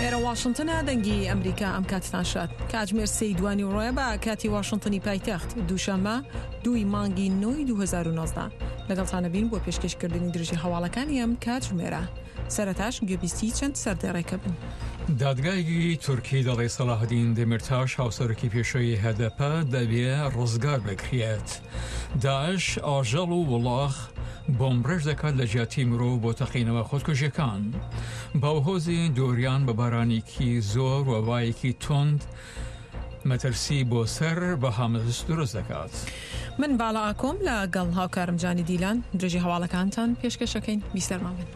ئێرە واشنتنە دەنگی ئەمریکا ئەم کاتتان شاد کاتژمێر سێی دوانی ڕۆیە بە کاتی واشنتنی پایتەخت دووشەممە دووی مانگی نۆی 2019 لەگەڵتانە بین بۆ پێشکەشکردنی درژی هەواڵەکانی ئەم کاتژمێرە سەرەتاش گوێبیستی چەند سەردێڕێکە بن. دادگایەکی تورکی دەڵێ سەلاحەدین دەمیرتاش هاوسەرۆکی پێشووی هەدەپە دەبێ ڕزگار بکرێت. داعش ئاژەڵ و وڵاخ بۆمبڕێژ دەکات لە جیاتی مرۆڤ بۆ تەقینەوە خۆدکوژیەکان. باوهۆزی دۆریان بە بارانێکی زۆر و بایەکی توند مەترسی بۆ سەر بەهامس دروست دەکات. من باڵا ئاکۆم لە گەڵ هاوکارم جانی دیلان درێژی هەواڵەکانتان پێشکەشەکەین بیسەرمان بن.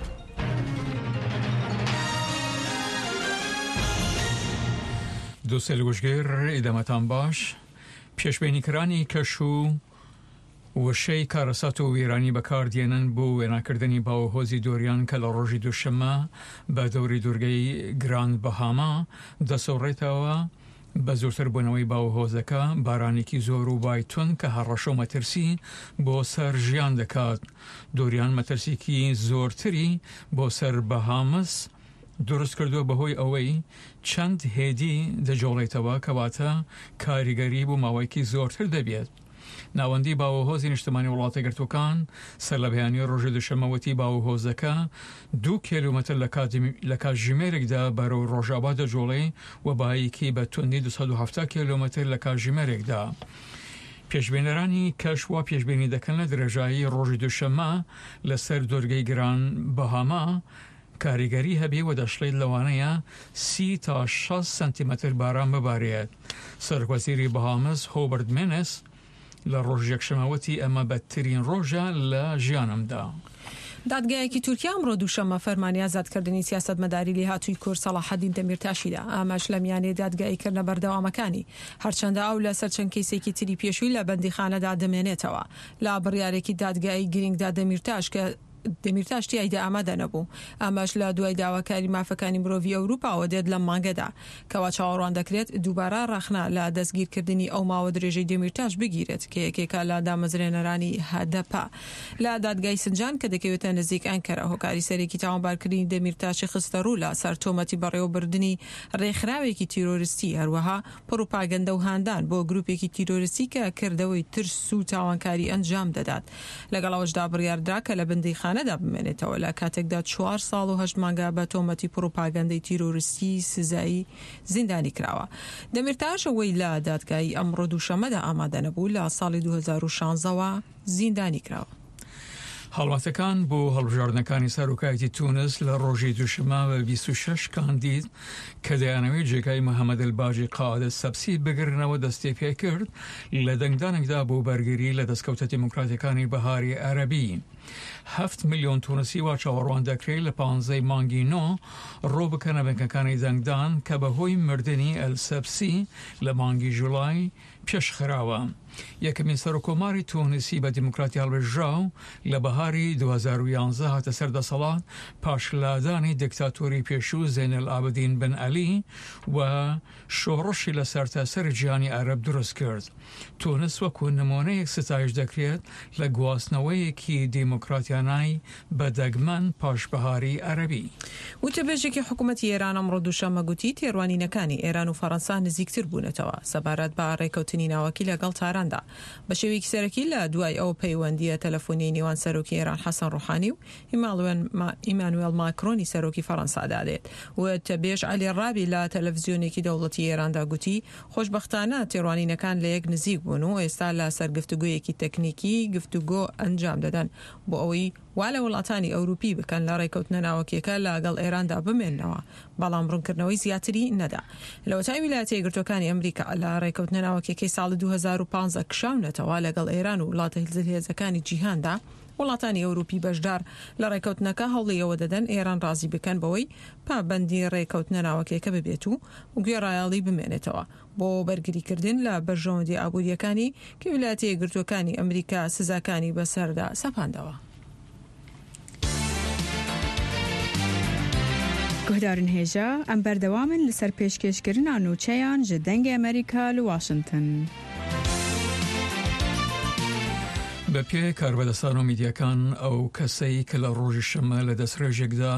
دووسێل گوشگیر ئیدەمەتان باش پێشبینیکرانی کەش و وشەی کارەسات و وێرانی بەکاردێنن بۆ وێناکردنی باوهۆزی دۆریان کە لە ڕۆژی دووشەممە بە دەوری دوورگەی گراند بەهاما دەسوڕێتەوە بە زۆرتر بوونەوەی باوهۆزەکە بارانێکی زۆر و بای توند کە هەڕەشە و مەترسی بۆ سەر ژیان دەکات دۆریان مەترسیکی زۆرتری بۆ سەر بەهامس دروست کردووە بەهۆی ئەوەی چەند هێدی دەجۆڵێتەوە کەواتە کاریگەری بۆ ماوەیەکی زۆرتر دەبێت. ناوەندی باوەهۆزی نیشتمانی وڵاتەگرتووەکان سەرلەبەیانی ڕۆژی دوشەممە وتی باوەهۆزەکە دوو کێلومەتر لە کاتژمێرێکدا بەرەو ڕۆژاوا دەجوڵێ و بایەکی بە توندی 270 کێلومەتر لە کاتژمێرێکدا. پێشبینەرانی کەش وا پێشبینی دەکەن لە درێژایی ڕۆژی دوشەممە لەسەر دورگەی گران بەهاما کاریگەری هەبێ و دەشڵێت لەوانەیە سی تا 60 سانتیمەتر باران ببارێت. سەرۆکوەزیری بەهامس هۆبەرت مێنس لە ڕۆژی یەکشەممە وتی ئەمە بەدترین ڕۆژە لە ژیانمدا. دادگایەکی تورکیا ئەمڕۆ دووشەممە فەرمانی ئازادکردنی سیاسەتمەداری لێهاتووی کورد سەڵاحەدین دەمیرتاشی دا، ئەمەش لە میانەی دادگاییکردنە بەردەوامەکانی، هەرچەندە ئەو لەسەر چەند کەیسێکی تری پێشووی لە بەندیخانەدا دەمێنێتەوە. لە بڕیارێکی دادگایی گرینگدا دەمیرتاش کە دەمیرتاش تیایدا ئامادە نەبوو، ئەمەش لە دوای داواکاری مافەکانی مرۆڤی ئەوروپاوە دێت لەم مانگەدا، کەوا چاوەڕوان دەکرێت دووبارە ڕەخنە لە دەستگیرکردنی ئەو ماوە درێژەی دەمیرتاش بگیرێت کە یەکێکە لە دامەزرێنەرانی هەدەپە لە دادگای سنجان کە دەکەوێتە نزیک ئەنکەرە هۆکاری سەرەکی تاوانبارکردنی دەمیرتاشی خستەڕوو لە سەر تۆمەتی بەڕێوەبردنی ڕێکخراوێکی تیرۆرستی هەروەها پڕوپاگەندە و هاندان بۆ گروپێکی تیرۆرستی کە کردەوەی ترس و تاوانکاری ئەنجام دەدات. لەگەڵ ئەوەشدا بڕیاردرا کە لە بەندیخانەدا بمێنێتەوە، لە کاتێکدا چوار ساڵ و هەشت مانگە بە تۆمەتی پڕوپاگەندەی تیرۆرستی سزای زیندانی کراوە. دەمیرتاش ئەوەی لە دادگایی ئەمڕۆ دووشەممەدا ئامادە نەبوو، لە ساڵی 2016 وە زیندانی کراوە. هەڵمەتەکان بۆ هەڵبژاردنەکانی سەرۆکایەتی تونس لە ڕۆژی دووشەممە بە 26 کاندید کە دەیانەوێت جێگای محەممەد الباجی قائد سەبسی بگرنەوە دەستی پێکرد لە دەنگدانێکدا بۆ بەرگری لە دەستکەوتە دیموکراتیەکانی بەهاری عەرەبی. هەفت ملیۆن تونسی وا چاوەڕوان دەکرێت لە پانزەی مانگی نۆ ڕوو بکەنە بنکەکانی دەنگدان کە بەهۆی مردنی ئەلسەبسی لە مانگی جوڵای پێشخراوە. یەکەمین سەرۆککۆماری تونسی بە دیموکراتی هەڵبێژراو لە بەهاری 2011 هاتە سەر دەسەڵات پاش لادانی دیکتاتۆری پێشوو زەین ئەلعابدین بن عەلی و شۆڕشی لە سەرتاسەری جیهانی عەرەب دروست کرد. تونس وەکو نموونەیەک ستایش دەکرێت لە گواستنەوەیەکی دیموکراتیانای بە دەگمەن پاش بەهاری عەرەبی. وتەبێژێکی حکومەتی ئێران ئەمڕۆ دووشەممە گوتی، تێڕوانینەکانی ئێران و فەرەنسا نزیکتر بوونەتەوە سەبارەت بە ڕێککەوتنی ناوەکی لەگەڵ تاراندا بە شێوەیەکی سەرەکی لە دوای ئەو پەیوەندییە تەلەفۆنیەی نێوان سەرۆکی ئێران حەسەن ڕۆحانی و ئیمانوێڵ ماکرۆنی سەرۆکی فەرەنسادا دێت. وتەبێژ عەلی ڕابی لە تەلەفزیۆنێکی دەوڵەتی ئێراندا گوتی، خۆشبەختانە تێڕوانینەکان لە یەک نزیک بوون و ئێستا لە سەر گفتوگۆیەکی تەکنیکی گفتوگۆ ئەنجام دەدەن بۆ ئەوەی وا لە وڵاتانی ئەوروپی بکەن لە ڕێکەوتنە ناوەکیەکە لە گەڵ ئێراندا بمێننەوە، بەڵام ڕوونکردنەوەی زیاتری نەدا. لەوەتای ویلایەتە یەکگرتووەکانی ئەمریکا لە ڕێکەوتنە ناوەکیەکەی ساڵی 2015 کشاونەتەوە لەگەڵ ئێران و وڵاتە زلهێزەکانی جیهاندا، وڵاتانی ئەوروپی بەشدار لە ڕێکەوتنەکە هەوڵی ئەوە دەدەن ئێران ڕازی بکەن بەوەی پابەندی ڕێکەوتنە ناوەکیەکە ببێت و گوێڕایەڵی بمێنێتەوە بۆ بەرگریکردن لە بەرژەوەندیە ئابوورییەکانی کە ویلایەتە یەکگرتووەکانی ئەمریکا سزاکانی بەسەردا سەپاندەوە. Guhdarên hêja, em berdewam in li ser pêşkêşkirina nûçeyan ji Dengê Amerîka li Washington. بە پێی کاربەدەستان و میدیاکان ئەو کەسەی کە لە ڕۆژی شەممە لە دەستڕێژێکدا.